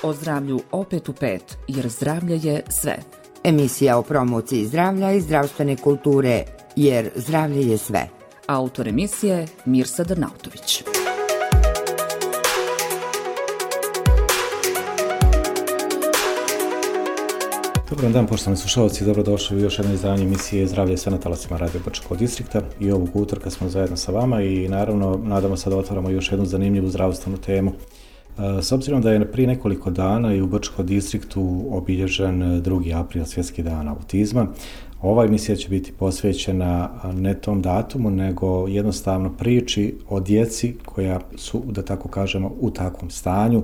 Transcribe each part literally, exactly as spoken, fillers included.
o zdravlju opet u pet, jer zdravlje je sve. Emisija o promociji zdravlja i zdravstvene kulture, jer zdravlje je sve. Autor emisije Mirsa Drnautović. Dobar dan, poštovani slušalci, dobrodošli u još jedno izdanje emisije Zdravlje je sve na talasima Radio Brčkog distrikta. I ovog utorka smo zajedno sa vama i naravno nadamo se da otvaramo još jednu zanimljivu zdravstvenu temu. S obzirom da je prije nekoliko dana i u Brčkom distriktu obilježen drugi april, svjetski dan autizma, ova emisija će biti posvećena ne tom datumu, nego jednostavno priči o djeci koja su, da tako kažemo, u takvom stanju.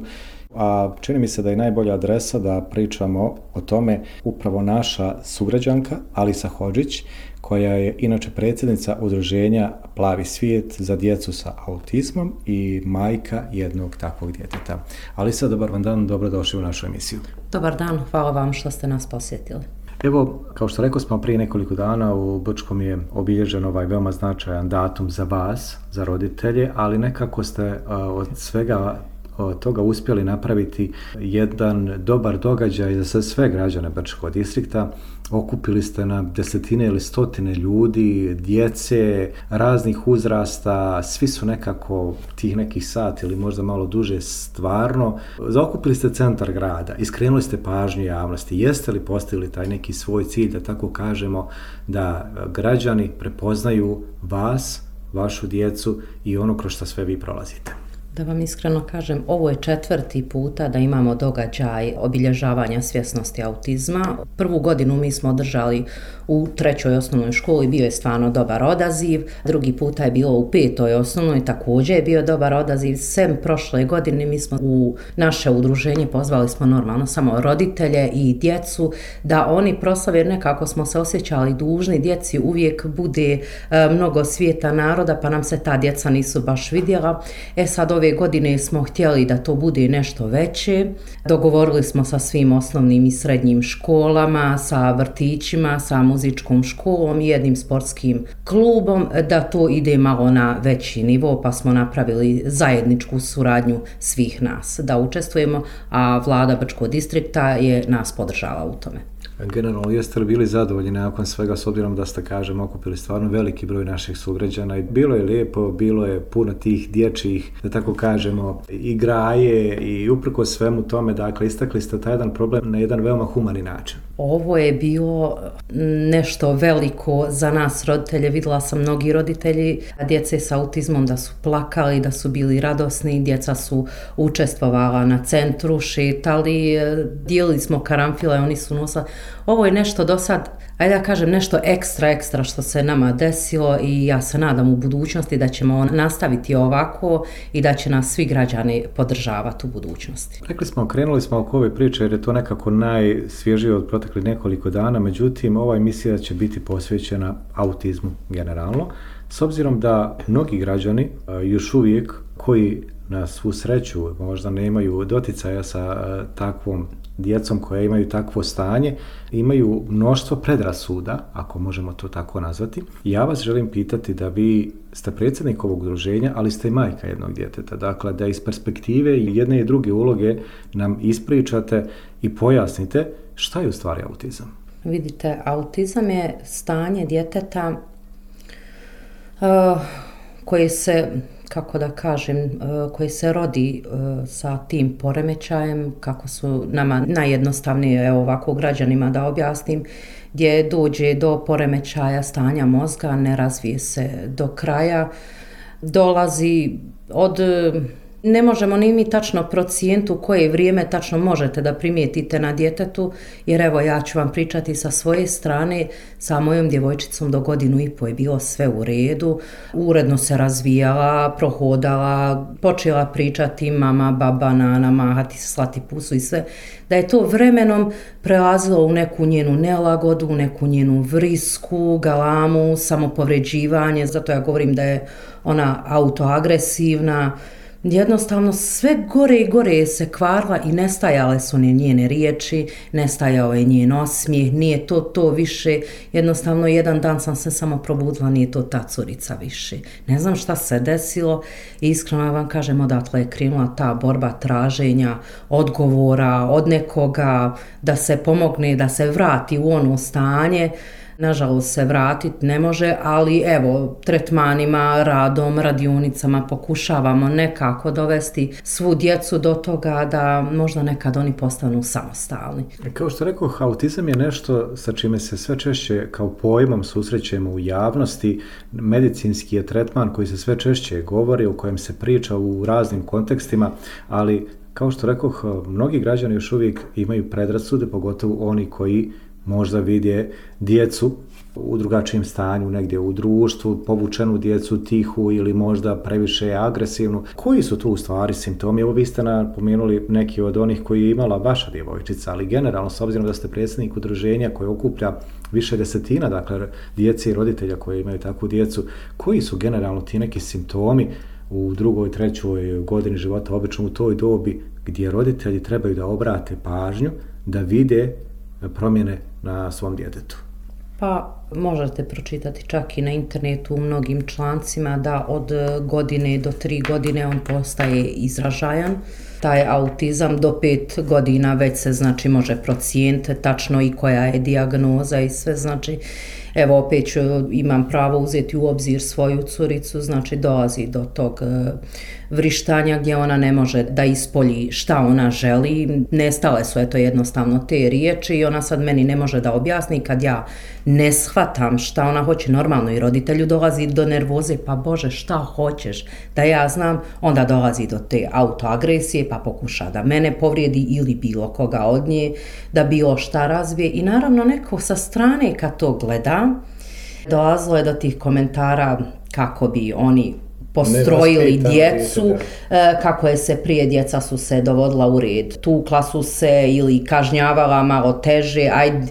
A čini mi se da je najbolja adresa da pričamo o tome upravo naša sugrađanka Alisa Hodžić, koja je inače predsjednica udruženja Plavi svijet za djecu sa autizmom i majka jednog takvog djeteta. Alisa, dobar vam dan, dobrodošli u našu emisiju. Dobar dan, hvala vam što ste nas posjetili. Evo, kao što rekao smo prije nekoliko dana, u Brčkom je obilježen ovaj veoma značajan datum za vas, za roditelje, ali nekako ste uh, od svega od toga uspjeli napraviti jedan dobar događaj za sve građane Brčkog distrikta. Okupili ste na desetine ili stotine ljudi, djece, raznih uzrasta, svi su nekako tih nekih sati ili možda malo duže stvarno. Zaokupili ste centar grada, iskrenuli ste pažnju javnosti. Jeste li postigli taj neki svoj cilj, da tako kažemo, da građani prepoznaju vas, vašu djecu i ono kroz što sve vi prolazite? Da vam iskreno kažem, ovo je četvrti puta da imamo događaj obilježavanja svjesnosti autizma. Prvu godinu mi smo održali u trećoj osnovnoj školi, bio je stvarno dobar odaziv. Drugi puta je bilo u petoj osnovnoj, također je bio dobar odaziv. Sem prošle godine mi smo u naše udruženje pozvali smo normalno samo roditelje i djecu da oni proslave, jer nekako smo se osjećali dužni. Djeci uvijek bude e, mnogo svijeta naroda, pa nam se ta djeca nisu baš vidjela. E sad ove godine smo htjeli da to bude nešto veće. Dogovorili smo sa svim osnovnim i srednjim školama, sa vrtićima, sa muzičkom školom i jednim sportskim klubom da to ide malo na veći nivo, pa smo napravili zajedničku suradnju svih nas da učestvujemo, a vlada Brčkog distrikta je nas podržala u tome. Generalno, jeste li bili zadovoljni nakon svega, s obzirom da ste, kažem, okupili stvarno veliki broj naših sugrađana i bilo je lijepo, bilo je puno tih dječjih, da tako kažemo, igraje i uprkos svemu tome, dakle, istakli ste taj jedan problem na jedan veoma humani način. Ovo je bilo nešto veliko za nas roditelje. Vidjela sam mnogi roditelji djece sa autizmom da su plakali, da su bili radosni, djeca su učestvovala na centru, šetali, dijelili smo karanfile, oni su nosili. Ovo je nešto do sad, ajde da kažem, nešto ekstra, ekstra što se nama desilo i ja se nadam u budućnosti da ćemo nastaviti ovako i da će nas svi građani podržavati u budućnosti. Rekli smo, krenuli smo oko ove priče jer je to nekako najsvježije od proteklih nekoliko dana, međutim ova emisija će biti posvećena autizmu generalno, s obzirom da mnogi građani još uvijek koji na svu sreću možda nemaju doticaja sa takvom djecom koja imaju takvo stanje, imaju mnoštvo predrasuda, ako možemo to tako nazvati. Ja vas želim pitati da vi ste predsjednik ovog udruženja, ali ste i majka jednog djeteta. Dakle, da iz perspektive jedne i druge uloge nam ispričate i pojasnite šta je u stvari autizam. Vidite, autizam je stanje djeteta uh, koje se, kako da kažem, koji se rodi sa tim poremećajem, kako su nama najjednostavnije, evo ovako građanima da objasnim, gdje dođe do poremećaja stanja mozga, ne razvije se do kraja, dolazi od... Ne možemo ni mi tačno procijeniti u koje vrijeme tačno možete da primijetite na djetetu, jer evo ja ću vam pričati sa svoje strane, sa mojom djevojčicom do godinu i po je bilo sve u redu, uredno se razvijala, prohodala, počela pričati mama, baba, nana, mahati, slati pusu i sve, da je to vremenom prelazilo u neku njenu nelagodu, u neku njenu vrisku, galamu, samopovređivanje, zato ja govorim da je ona autoagresivna, jednostavno sve gore i gore se kvarila i nestajale su ne njene riječi, nestajao je njen osmijeh, nije to to više, jednostavno jedan dan sam se samo probudila, nije to ta curica više. Ne znam šta se desilo i iskreno vam kažem, odatle je krenula ta borba traženja odgovora od nekoga, da se pomogne, da se vrati u ono stanje. Nažalost se vratiti ne može, ali evo, tretmanima, radom, radionicama pokušavamo nekako dovesti svu djecu do toga da možda nekad oni postanu samostalni. Kao što rekao, autizam je nešto sa čime se sve češće kao pojmom susrećemo u javnosti. Medicinski je tretman koji se sve češće govori, o kojem se priča u raznim kontekstima, ali kao što rekoh, mnogi građani još uvijek imaju predrasude, pogotovo oni koji možda vide djecu u drugačijem stanju, negdje u društvu, povučenu djecu, tihu ili možda previše agresivnu. Koji su tu u stvari simptomi? Evo vi ste napomenuli neki od onih koji je imala vaša djevojčica, ali generalno, s obzirom da ste predsjednik udruženja koje okuplja više desetina, dakle, djece i roditelja koji imaju takvu djecu, koji su generalno ti neki simptomi u drugoj, trećoj godini života, obično u toj dobi, gdje roditelji trebaju da obrate pažnju, da vide promjene na svom djetetu? Pa možete pročitati čak i na internetu u mnogim člancima da od godine do tri godine on postaje izražajan. Taj autizam do pet godina već se znači može procijeniti tačno i koja je dijagnoza i sve, znači evo opet ću, imam pravo uzeti u obzir svoju curicu, znači dolazi do tog vrištanja gdje ona ne može da ispolji šta ona želi, nestale su eto jednostavno te riječi i ona sad meni ne može da objasni kad ja ne shvatam šta ona hoće. Normalno i roditelju dolazi do nervoze, pa Bože šta hoćeš da ja znam, onda dolazi do te autoagresije pa pokuša da mene povrijedi ili bilo koga od nje, da bilo šta razvije i naravno neko sa strane kad to gleda, dolazilo je do tih komentara kako bi oni postrojili djecu, kako je se prije djeca su se dovodila u red, tukla su se ili kažnjavala malo teže, ajde,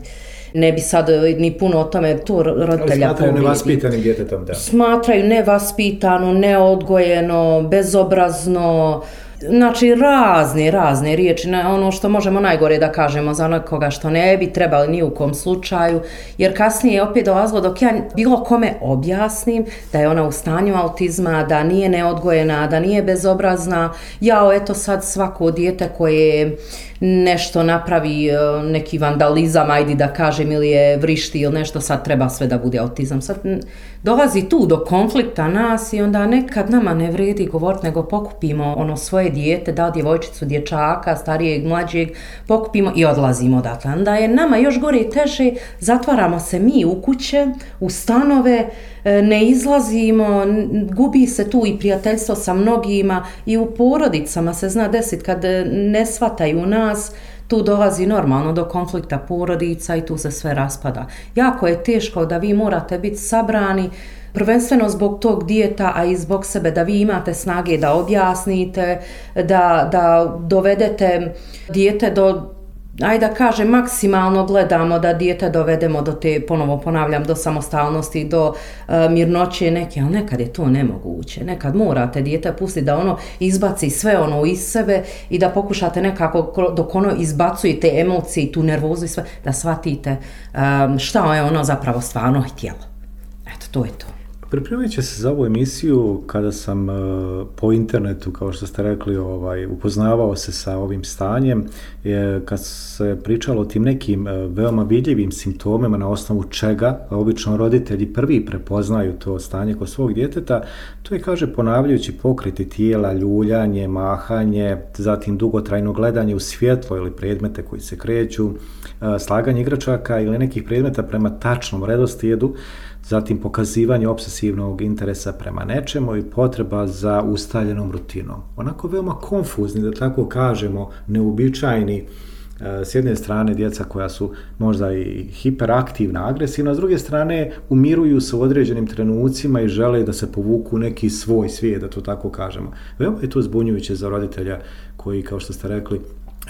ne bi sad ni puno o tome to roditelja smatraju povrijedi. Nevaspitanim djetetom, da. Smatraju nevaspitano, neodgojeno, bezobrazno, znači razne, razne riječi, ono što možemo najgore da kažemo za nekoga što ne bi trebali ni u kom slučaju, jer kasnije je opet dolazilo dok ja bilo kome objasnim da je ona u stanju autizma, da nije neodgojena, da nije bezobrazna, jao eto sad svako dijete koje nešto napravi, neki vandalizam, ajde da kažem, ili je vrišti ili nešto, sad treba sve da bude autizam. Sad dolazi tu do konflikta nas i onda nekad nama ne vredi govoriti, nego pokupimo ono svoje dijete, da li djevojčicu, dječaka, starijeg, mlađeg, pokupimo i odlazimo odatle. Onda je nama još gore i teže, zatvaramo se mi u kuće, u stanove, ne izlazimo, gubi se tu i prijateljstvo sa mnogima i u porodicama se zna desiti kad ne shvataju nas, tu dolazi normalno do konflikta porodica i tu se sve raspada. Jako je teško da vi morate biti sabrani, prvenstveno zbog tog dijeta, a i zbog sebe, da vi imate snage da objasnite, da, da dovedete dijete do, ajde da kažem, maksimalno gledamo da dijete dovedemo do te, ponovo ponavljam, do samostalnosti, do uh, mirnoće neke, ali nekad je to nemoguće. Nekad morate dijete pustiti da ono izbaci sve ono iz sebe i da pokušate nekako, dok ono izbacuje te emocije, tu nervozu i sve, da shvatite um, šta je ono zapravo stvarno htjelo. Eto, to je to. Pripremajući se za ovu emisiju, kada sam uh, po internetu, kao što ste rekli, ovaj, upoznavao se sa ovim stanjem, je, kad se pričalo o tim nekim uh, veoma vidljivim simptomima na osnovu čega obično roditelji prvi prepoznaju to stanje kod svog djeteta, to je, kaže, ponavljajući pokreti tijela, ljuljanje, mahanje, zatim dugotrajno gledanje u svjetlo ili predmete koji se kreću, uh, slaganje igračaka ili nekih predmeta prema tačnom redoslijedu, zatim pokazivanje obsesivnog interesa prema nečemu i potreba za ustaljenom rutinom. Onako veoma konfuzni, da tako kažemo, neuobičajeni, s jedne strane djeca koja su možda i hiperaktivna, agresivna, s druge strane umiruju se u određenim trenucima i žele da se povuku neki svoj svijet, da to tako kažemo. Veoma je to zbunjujuće za roditelja koji, kao što ste rekli,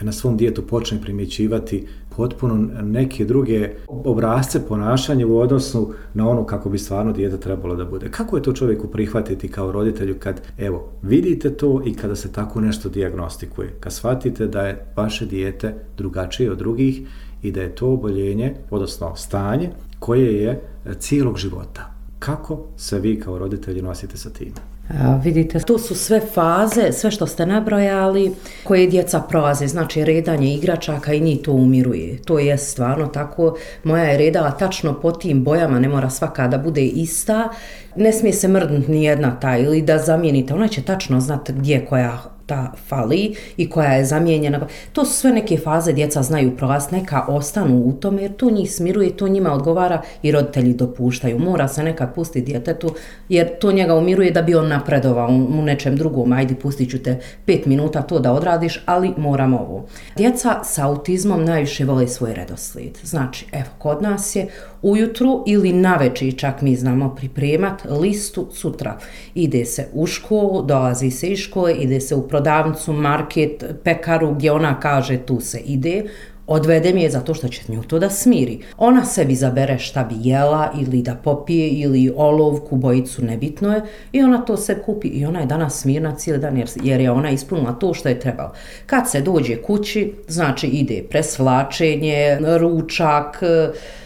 na svom djetetu počne primjećivati potpuno neke druge obrasce ponašanja u odnosu na ono kako bi stvarno dijete trebalo da bude. Kako je to čovjeku prihvatiti kao roditelju kad, evo, vidite to i kada se tako nešto dijagnostikuje, kad shvatite da je vaše dijete drugačije od drugih i da je to oboljenje, odnosno stanje, koje je cijelog života. Kako se vi kao roditelji nosite sa tim? A, vidite, to su sve faze, sve što ste nabrojali, koje djeca prolaze, znači redanje igračaka i njih to umiruje. To je stvarno tako. Moja je redala tačno po tim bojama, ne mora svaka da bude ista. Ne smije se mrdnuti ni jedna ta ili da zamijenite. Ona će tačno znati gdje koja ta fali i koja je zamijenjena. To su sve neke faze, djeca znaju prolaz, neka ostanu u tome jer to njih smiruje, to njima odgovara i roditelji dopuštaju. Mora se nekad pustiti djetetu jer to njega umiruje da bi on napredovao u nečem drugom. Ajde, pustit ću te pet minuta to da odradiš, ali moram ovo. Djeca sa autizmom najviše vole svoj redoslijed. Znači, evo, kod nas je ujutru ili navečer čak mi znamo pripremat listu sutra. Ide se u školu, dolazi se iz škole, ide se u prodavnicu, market, pekaru gdje ona kaže tu se ide, odvedem je zato što će nju to da smiri. Ona sebi zabere šta bi jela ili da popije ili olovku, bojicu, nebitno je i ona to se kupi i ona je danas smirna cijeli dan jer, jer je ona ispunila to što je trebalo. Kad se dođe kući, znači ide presvlačenje, ručak,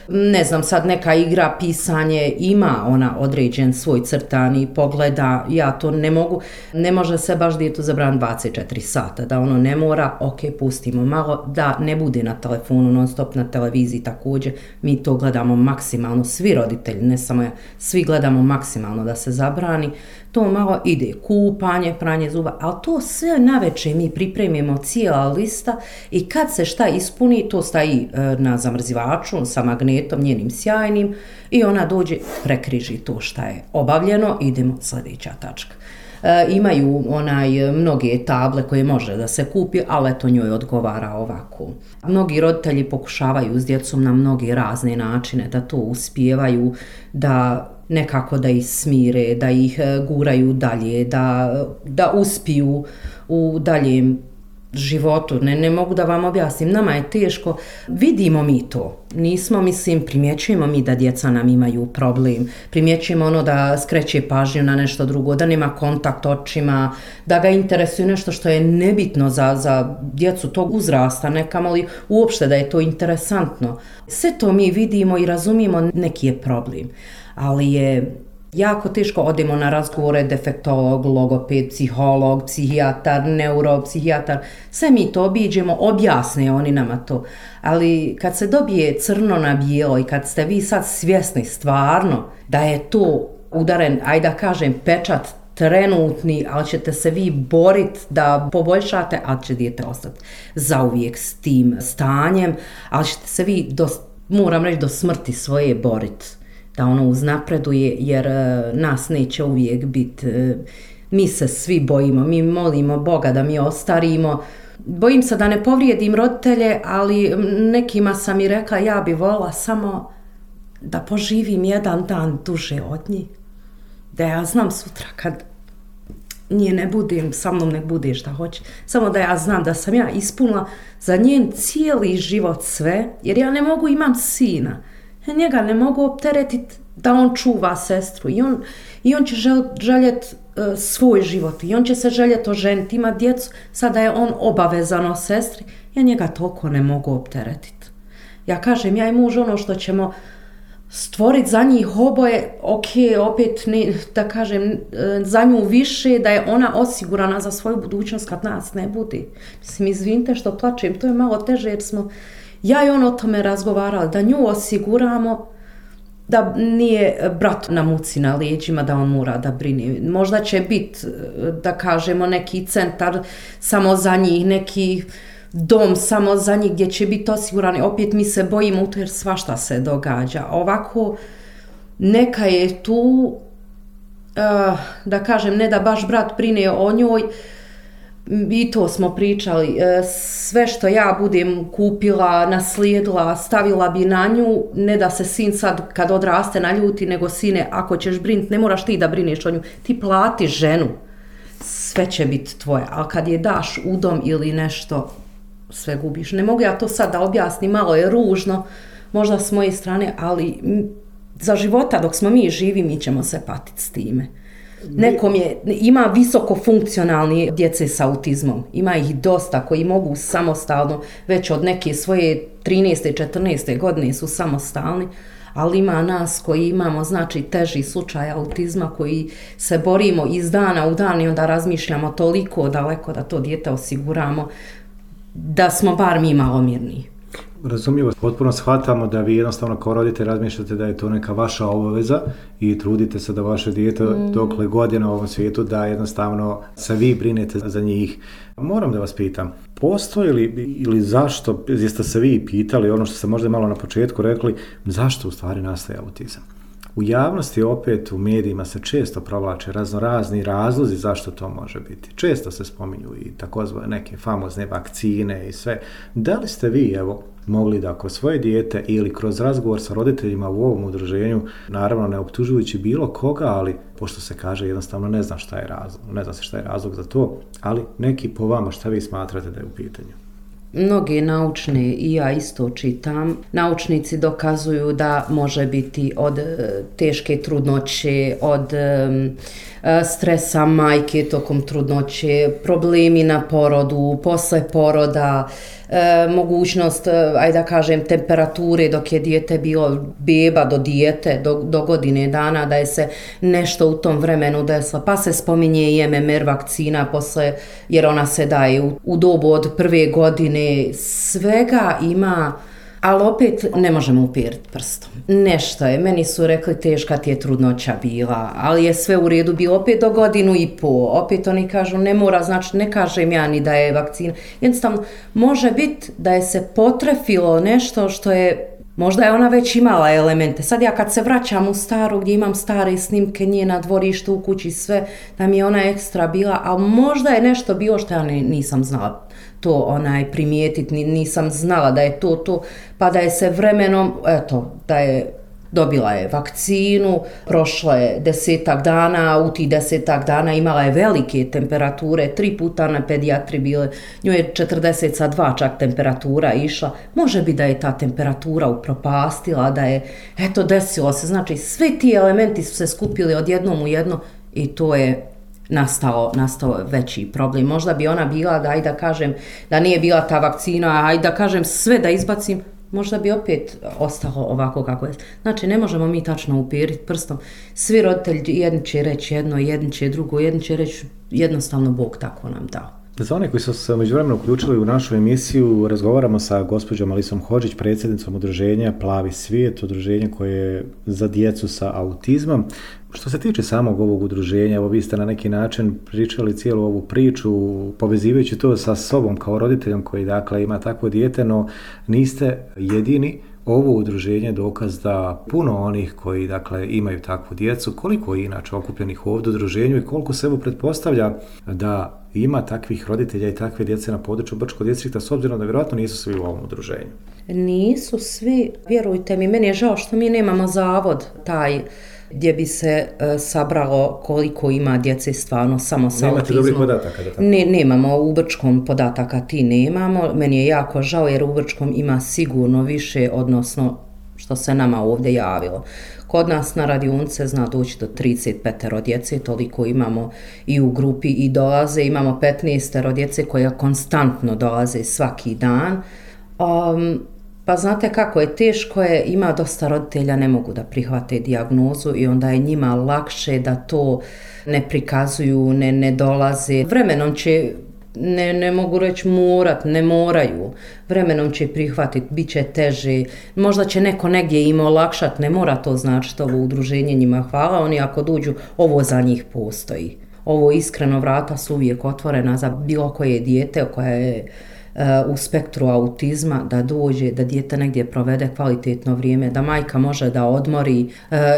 ne znam, sad neka igra, pisanje, ima ona određen svoj crtani, pogleda, ja to ne mogu, ne može se baš djetu zabraniti dvadeset četiri sata, da ono ne mora, ok, pustimo malo, da ne bude na telefonu, non stop na televiziji također, mi to gledamo maksimalno, svi roditelji, ne samo ja, svi gledamo maksimalno da se zabrani, to malo ide kupanje, pranje zuba, ali to sve navečer mi pripremimo cijela lista i kad se šta ispuni, to staji na zamrzivaču sa magnetom njenim sjajnim i ona dođe, prekriži to šta je obavljeno, idemo sljedeća tačka. E, imaju onaj mnoge table koje može da se kupi, ali eto njoj odgovara ovako. Mnogi roditelji pokušavaju s djecom na mnoge razne načine da to uspijevaju, da nekako da ih smire, da ih guraju dalje, da, da uspiju u daljem životu. Ne, ne mogu da vam objasnim, nama je teško. Vidimo mi to. Nismo, mislim, primjećujemo mi da djeca nam imaju problem. Primjećujemo ono da skreće pažnju na nešto drugo, da nema kontakt očima, da ga interesuje nešto što je nebitno za, za djecu tog uzrasta, nekamo li uopšte da je to interesantno. Sve to mi vidimo i razumijemo, neki je problem. Ali je jako teško, odemo na razgovore, defektolog, logoped, psiholog, psihijatar, neuropsihijatar, sve mi to obiđemo, objasne oni nama to. Ali kad se dobije crno na bijelo i kad ste vi sad svjesni stvarno da je to udaren, ajde da kažem, pečat trenutni, ali ćete se vi boriti da poboljšate, ali će dijete ostati zauvijek s tim stanjem, ali ćete se vi, do, moram reći, do smrti svoje boriti. Da ono uznapreduje, jer uh, nas neće uvijek biti. Uh, mi se svi bojimo, mi molimo Boga da mi ostarimo. Bojim se da ne povrijedim roditelje, ali nekima sam i rekla ja bi voljela samo da poživim jedan dan duže od njih. Da ja znam sutra kad nje ne budem, sa mnom nek bude šta hoće. Samo da ja znam da sam ja ispunila za njen cijeli život sve, jer ja ne mogu, imam sina. Njega ne mogu opteretiti da on čuva sestru i on, i on će žel, željeti uh, svoj život i on će se željeti oženiti, ima djecu, sada je on obavezan o sestri, ja njega toliko ne mogu opteretiti. Ja kažem, ja i muž ono što ćemo stvoriti za njih oboje, ok, opet ne, da kažem, za nju više, da je ona osigurana za svoju budućnost kad nas ne bude. Mislim, izvinite što plačem, to je malo teže jer smo ja i on o tome razgovarali, da nju osiguramo, da nije brat na muci na leđima, da on mora da brine. Možda će biti, da kažemo, neki centar samo za njih, neki dom samo za njih gdje će biti osigurani. Opet mi se bojimo u to jer svašta se događa. Ovako, neka je tu, uh, da kažem, ne da baš brat brine o njoj, i to smo pričali, sve što ja budem kupila, naslijedila, stavila bi na nju, ne da se sin sad kad odraste naljuti, nego sine, ako ćeš briniti, ne moraš ti da brineš o nju, ti plati ženu, sve će biti tvoje, ali kad je daš u dom ili nešto, sve gubiš. Ne mogu ja to sad da objasnim, malo je ružno, možda s moje strane, ali za života dok smo mi živi, mi ćemo se patiti s time. Nekom je, ima visoko funkcionalni djece s autizmom, ima ih dosta koji mogu samostalno, već od neke svoje trinaeste četrnaeste godine su samostalni, ali ima nas koji imamo znači teži slučaj autizma koji se borimo iz dana u dan i onda razmišljamo toliko daleko da to dijete osiguramo da smo bar mi malo mirniji. Razumljivo, potpuno shvatamo da vi jednostavno kao roditelj razmišljate da je to neka vaša obaveza i trudite se da vaše dijete mm. dokle god je na ovom svijetu da jednostavno se vi brinete za njih. Moram da vas pitam, postoji li ili zašto, jeste se vi pitali ono što ste možda malo na početku rekli, zašto u stvari nastaje autizam? U javnosti opet u medijima se često provlače raznorazni razlozi zašto to može biti. Često se spominju i takozvane neke famozne vakcine i sve. Da li ste vi, evo, mogli da kroz svoje dijete ili kroz razgovor sa roditeljima u ovom udruženju, naravno ne optužujući bilo koga, ali pošto se kaže jednostavno ne znam šta je razlog, ne zna se šta je razlog za to, ali neki po vama šta vi smatrate da je u pitanju? Mnoge naučne, i ja isto čitam, naučnici dokazuju da može biti od teške trudnoće, od stresa majke tokom trudnoće, problemi na porodu, posle poroda, e, mogućnost, ajde da kažem, temperature dok je dijete bilo beba do dijete, do, do godine dana, da je se nešto u tom vremenu desilo. Pa se spominje i M M R vakcina posle, jer ona se daje u, u dobu od prve godine. Svega ima, ali opet ne možemo upiriti prstom. Nešto je, meni su rekli teška ti je trudnoća bila, ali je sve u redu bilo opet do godinu i po. Opet oni kažu ne mora, znači ne kažem ja ni da je vakcina. Jednostavno, može biti da je se potrefilo nešto što je, možda je ona već imala elemente. Sad ja kad se vraćam u staru gdje imam stare snimke nje na dvorištu u kući sve, da mi je ona ekstra bila, a možda je nešto bilo što ja nisam znala to onaj primijetiti, nisam znala da je to to, pa da je se vremenom, eto, da je dobila je vakcinu, prošlo je desetak dana, u tih desetak dana imala je velike temperature, tri puta na pedijatri bile, njoj je četrdeset dva čak temperatura išla, može bi da je ta temperatura upropastila, da je, eto, desilo se, znači svi ti elementi su se skupili odjednom u jedno i to je Nastao, nastao veći problem. Možda bi ona bila, da ajde da kažem, da nije bila ta vakcina, ajde da kažem sve da izbacim, možda bi opet ostalo ovako kako je. Znači, ne možemo mi tačno upiriti prstom. Svi roditelji, jedan će reći jedno, jedan će drugo, jedan će reći jednostavno Bog tako nam dao. Za one koji su se međuvremeno uključili u našu emisiju, razgovaramo sa gospođom Alisom Hodžić, predsjednicom udruženja Plavi svijet, udruženje koje je za djecu sa autizmom. Što se tiče samog ovog udruženja, evo vi ste na neki način pričali cijelu ovu priču, povezivajući to sa sobom kao roditeljom koji dakle ima takvo dijete, no niste jedini. Ovo udruženje je dokaz da puno onih koji dakle imaju takvu djecu, koliko je inače okupljenih ovdje u udruženju i koliko se evo pretpostavlja da ima takvih roditelja i takve djece na području Brčkog distrikta, s obzirom da vjerojatno nisu svi u ovom udruženju. Nisu svi, vjerujte mi, meni je žao što mi nemamo zavod taj gdje bi se e, sabralo koliko ima djece stvarno samo sa Nemate autizmom. dobrih podataka? Da tako? Ne, nemamo, u Brčkom podataka ti nemamo. Meni je jako žao jer u Brčkom ima sigurno više, odnosno što se nama ovdje javilo. Kod nas na radionice zna doći do trideset pet djece, toliko imamo i u grupi i dolaze. Imamo petnaest djece koja konstantno dolaze svaki dan. Um, Pa znate kako je, teško je, ima dosta roditelja ne mogu da prihvate dijagnozu i onda je njima lakše da to ne prikazuju, ne, ne dolaze. Vremenom će, ne, ne mogu reći morat, ne moraju, vremenom će prihvatiti, bit će teže, možda će neko negdje im olakšati, ne mora to značiti ovo udruženje njima hvala, oni ako dođu, ovo za njih postoji. Ovo iskreno vrata su uvijek otvorena za bilo koje dijete koje je u spektru autizma, da dođe, da dijete negdje provede kvalitetno vrijeme, da majka može da odmori.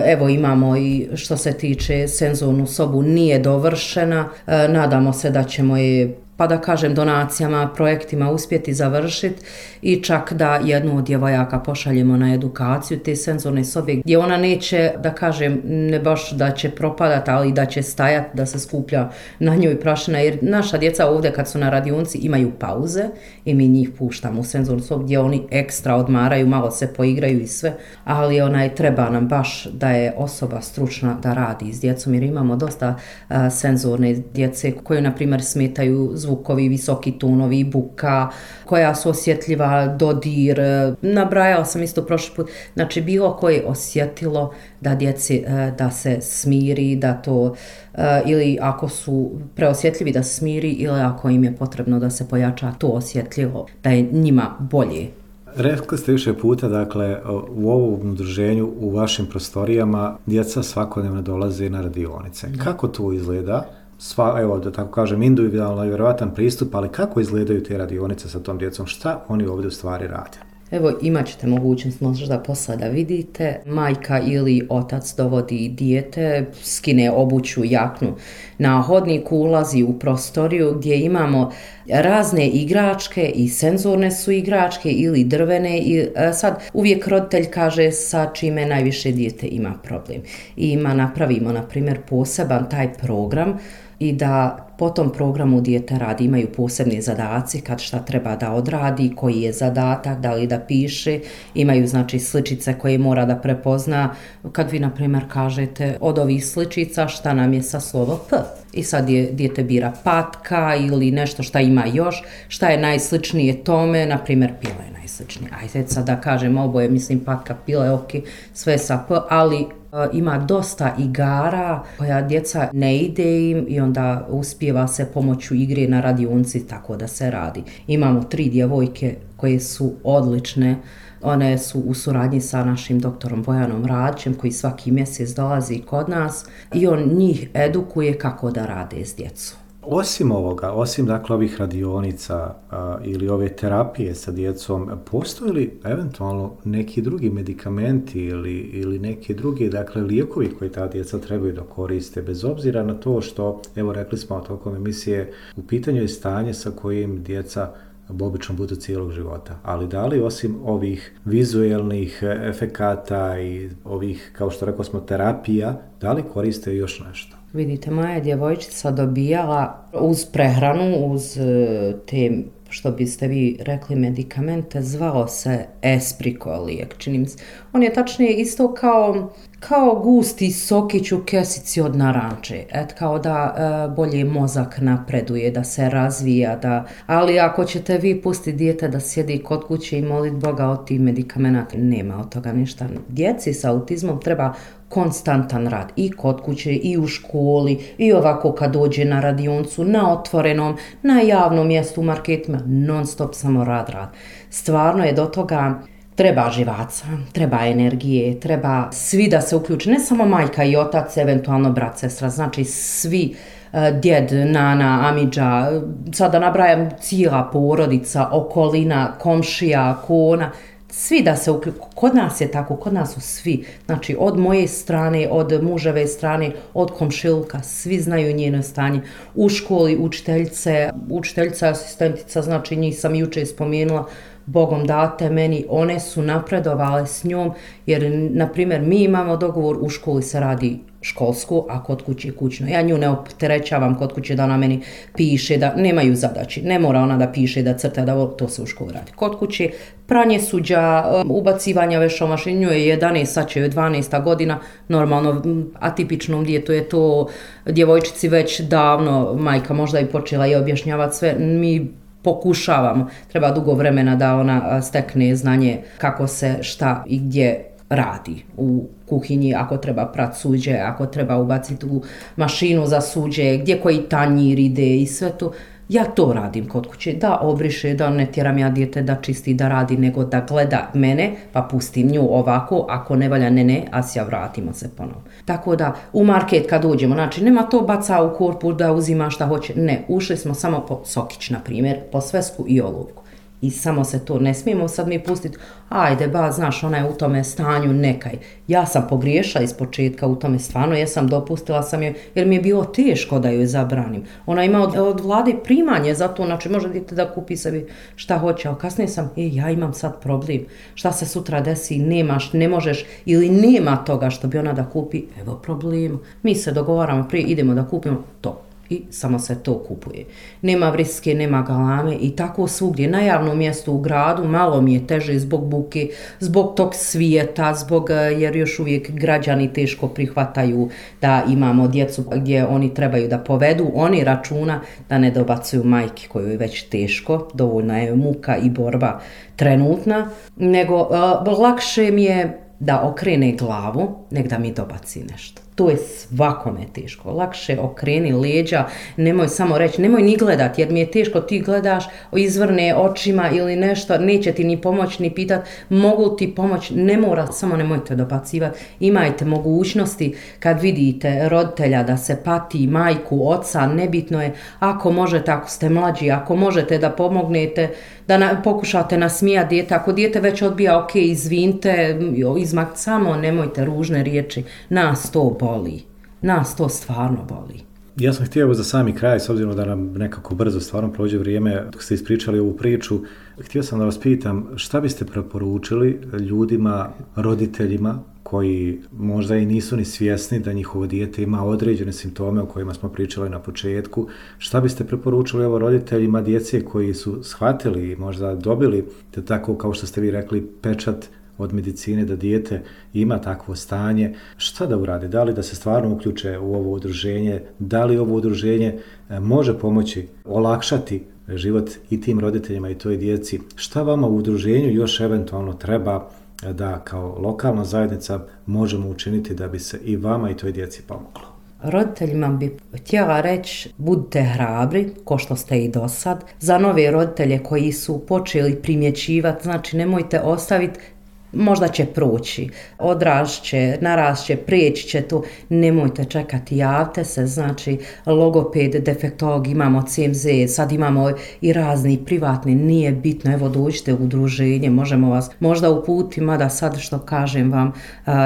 Evo imamo i što se tiče senzornu sobu, nije dovršena, nadamo se da ćemo je pa da kažem donacijama, projektima uspjeti završiti i čak da jednu od djevojaka pošaljemo na edukaciju te senzorne sobe gdje ona neće, da kažem, ne baš da će propadati, ali da će stajati, da se skuplja na njoj prašina, jer naša djeca ovdje kad su na radionici imaju pauze i mi njih puštamo u senzornu sobu gdje oni ekstra odmaraju, malo se poigraju i sve, ali onaj, treba nam baš da je osoba stručna da radi s djecom, jer imamo dosta a, senzorne djece koje, na primjer, smetaju zvukovi, visoki tonovi, buka, koja su osjetljiva, dodir. Nabrajala sam isto prošli put, znači bilo koje osjetilo da djeci da se smiri, da to, ili ako su preosjetljivi da se smiri, ili ako im je potrebno da se pojača to osjetljivo, da je njima bolje. Rekli ste više puta, dakle, u ovom udruženju, u vašim prostorijama, djeca svakodnevno dolaze na radionice. Kako to izgleda? Sva, evo, da tako kažem, individualno i vjerovatan pristup, ali kako izgledaju te radionice sa tom djecom? Šta oni ovdje u stvari rade? Evo, imat ćete mogućnost možda posle da vidite. Majka ili otac dovodi dijete, skine obuću, jaknu na hodniku, ulazi u prostoriju gdje imamo razne igračke i senzorne su igračke ili drvene i sad uvijek roditelj kaže sa čime najviše dijete ima problem. I ima, napravimo, na primjer, poseban taj program i da po tom programu dijete radi, imaju posebni zadaci kad šta treba da odradi, koji je zadatak, da li da piše, imaju znači sličice koje mora da prepozna. Kad vi, na primjer, kažete od ovih sličica šta nam je sa slovo P i sad je, dijete bira patka ili nešto šta ima još, šta je najsličnije tome, na primjer pila je najsličnije. Ajde sad da kažem oboje, mislim patka, pile, ok, sve sa P, ali ima dosta igara koja djeca ne ide im i onda uspijeva se pomoću igre na radionci tako da se radi. Imamo tri djevojke koje su odlične, one su u suradnji sa našim doktorom Bojanom Radićem koji svaki mjesec dolazi kod nas i on njih edukuje kako da rade s djecom. Osim ovoga, osim dakle ovih radionica a, ili ove terapije sa djecom, postoje li eventualno neki drugi medikamenti ili, ili neki drugi dakle lijekovi koji ta djeca trebaju da koriste, bez obzira na to što, evo rekli smo tokom emisije, u pitanju je stanje sa kojim djeca obično budu cijelog života. Ali da li osim ovih vizuelnih efekata i ovih, kao što rekao smo, terapija, da li koriste još nešto? Vidite, moja djevojčica dobijala uz prehranu, uz te, što biste vi rekli, medikamente, zvalo se Esprico lijek, čini mi se. On je tačnije isto kao, kao gusti sokić u kesici od naranče, et kao da e, bolje mozak napreduje, da se razvija, da, ali ako ćete vi pustiti dijete da sjedi kod kuće i moliti Boga od tih medikamenata, nema od toga ništa. Djeci sa autizmom treba konstantan rad i kod kuće i u školi i ovako kad dođe na radioncu, na otvorenom, na javnom mjestu, u marketima, non stop samo rad, rad. Stvarno je do toga treba živaca, treba energije, treba svi da se uključe, ne samo majka i otac, eventualno brat, sestra, znači svi, djed, nana, amidža, sada nabrajam cijela porodica, okolina, komšija, kona, svi da se uključu. Kod nas je tako, kod nas su svi, znači od moje strane, od muževe strane, od komšiluka, svi znaju njeno stanje. U školi učiteljice, učiteljica, asistentica, znači njih sam jučer spomenula, Bogom date meni, one su napredovale s njom, jer, na primjer, mi imamo dogovor, u školi se radi školsku, a kod kuće kućno. Ja nju ne opterećavam kod kuće da ona meni piše, da nemaju zadaći. Ne mora ona da piše, da crta, da to se u školi radi. Kod kuće pranje suđa, ubacivanja veša u mašinu, nju je jedanaest, sad će joj dvanaesta godina, normalno atipičnom djetu je to djevojčici već davno, majka možda i počela i objašnjavati sve, mi pokušavamo, treba dugo vremena da ona stekne znanje kako se šta i gdje radi u kuhinji, ako treba prat suđe, ako treba ubaciti u mašinu za suđe, gdje koji tanjir ide i sve to. Ja to radim kod kuće, da obriše, da ne tjeram ja dijete da čisti, da radi, nego da gleda mene, pa pustim nju ovako, ako ne valja, ne, ne, a sja vratimo se ponovno. Tako da, u market kad uđemo, znači nema to baca u korpu da uzima šta hoće, ne, ušli smo samo po sokić, na primjer, po svesku i olovku. I samo se to ne smijemo sad mi pustiti, ajde ba, znaš, ona je u tome stanju, nekaj. Ja sam pogriješila iz početka u tome, stvarno, ja sam dopustila sam je, jer mi je bilo teško da joj zabranim. Ona ima od, od vlade primanje za to, znači može dijete da kupi sebi šta hoće, ali kasnije sam, e, ja imam sad problem, šta se sutra desi, nemaš, ne možeš, ili nema toga što bi ona da kupi, evo problem. Mi se dogovaramo prije, idemo da kupimo to. I samo se to kupuje. Nema vriske, nema galame i tako svugdje. Na javnom mjestu u gradu malo mi je teže zbog buke, zbog tog svijeta, zbog, jer još uvijek građani teško prihvataju da imamo djecu gdje oni trebaju da povedu. Oni računa da ne dobacuju majki koju je već teško, dovoljna je muka i borba trenutna, nego uh, lakše mi je da okrene glavu nek da mi dobaci nešto. To je svakome teško. Lakše okreni leđa, nemoj samo reći, nemoj ni gledat, jer mi je teško, ti gledaš, izvrne očima ili nešto, neće ti ni pomoći, ni pitat, mogu ti pomoći, ne mora, samo nemojte dobacivati. Imajte mogućnosti kad vidite roditelja da se pati, majku, oca, nebitno je, ako možete, ako ste mlađi, ako možete da pomognete, da na, pokušate nasmijati dijete, ako dijete već odbija, ok, izvinite, izmak, samo nemojte ružne riječi, nas to boli, nas to stvarno boli. Ja sam htio za sami kraj, s obzirom da nam nekako brzo stvarno prođe vrijeme dok ste ispričali ovu priču, htio sam da vas pitam šta biste preporučili ljudima, roditeljima koji možda i nisu ni svjesni da njihovo dijete ima određene simptome o kojima smo pričali na početku. Šta biste preporučili ovo roditeljima djece koji su shvatili i možda dobili, te tako kao što ste vi rekli, pečat od medicine da dijete ima takvo stanje, šta da urade? Da li da se stvarno uključe u ovo udruženje? Da li ovo udruženje može pomoći olakšati život i tim roditeljima i toj djeci? Šta vama u udruženju još eventualno treba da kao lokalna zajednica možemo učiniti da bi se i vama i toj djeci pomoglo? Roditeljima bi htjela reći, budite hrabri, ko što ste i do sad. Za nove roditelje koji su počeli primjećivati, znači nemojte ostaviti, možda će proći, odrašće, narasće, prijeći će to, nemojte čekati, javite se, znači logoped, defektolog, imamo C M Z, sad imamo i razni privatni, nije bitno, evo dođite u udruženje, možemo vas možda uputiti, mada sad što kažem vam,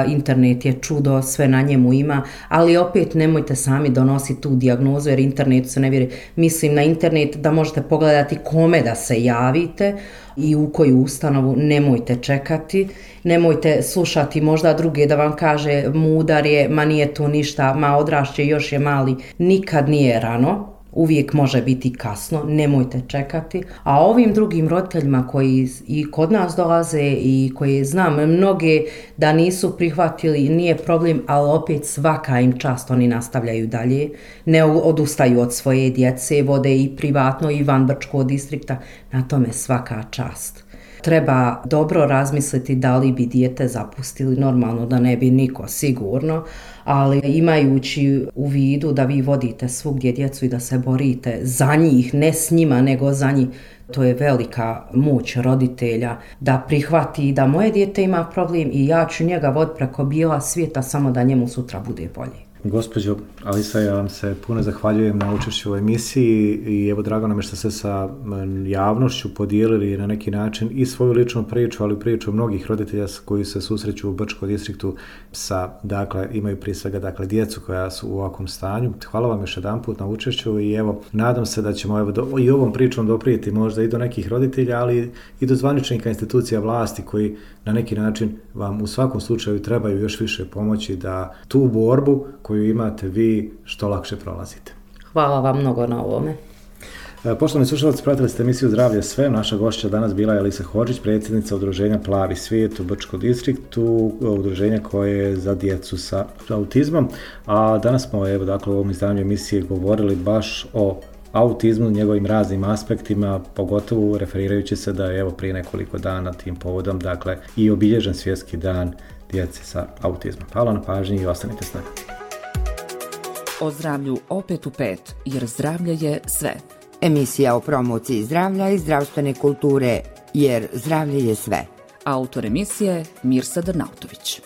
internet je čudo, sve na njemu ima, ali opet nemojte sami donositi tu dijagnozu, jer internetu se ne vjeruje, mislim na internet da možete pogledati kome da se javite, i u koju ustanovu, nemojte čekati, nemojte slušati možda druge da vam kaže mudar je, ma nije to ništa, ma odrašće, još je mali, nikad nije rano, uvijek može biti kasno, nemojte čekati. A ovim drugim roditeljima koji i kod nas dolaze i koji znam mnoge da nisu prihvatili, nije problem, ali opet svaka im čast, oni nastavljaju dalje, ne odustaju od svoje djece, vode i privatno i van Brčkog distrikta, na tome svaka čast. Treba dobro razmisliti da li bi dijete zapustili, normalno da ne bi niko sigurno, ali imajući u vidu da vi vodite svugdje djecu i da se borite za njih, ne s njima nego za njih, to je velika moć roditelja da prihvati da moje dijete ima problem i ja ću njega voditi preko bijela svijeta samo da njemu sutra bude bolje. Gospođo Alisa, ja vam se puno zahvaljujem na učešću u emisiji i evo drago nam je što ste sa javnošću podijelili na neki način i svoju ličnu priču, ali priču mnogih roditelja koji se susreću u Brčkom distriktu sa, dakle, imaju prije svega, dakle, djecu koja su u ovakvom stanju. Hvala vam još jedan put na učešću i evo, nadam se da ćemo evo, do, i ovom pričom doprijeti možda i do nekih roditelja, ali i do zvaničnika institucija vlasti koji na neki način vam u svakom slučaju trebaju još više pomoći da tu borbu koju imate vi što lakše prolazite. Hvala vam mnogo na ovome. Poštovani slušalci, pratili ste emisiju Zdravlje sve. Naša gošća danas bila je Alisa Hodžić, predsjednica udruženja Plavi svijet u Brčkom distriktu, udruženja koje je za djecu sa autizmom. A danas smo evo, dakle, u ovom izdanju emisije govorili baš o autizmu, njegovim raznim aspektima, pogotovo referirajući se da je evo prije nekoliko dana tim povodom, dakle, i obilježen svjetski dan djece sa autizmom. Hvala na pažnji i ostanite s nama. O zdravlju opet u pet, jer zdravlje je sve. Emisija o promociji zdravlja i zdravstvene kulture, jer zdravlje je sve. Autor emisije Mirsa Drnautović.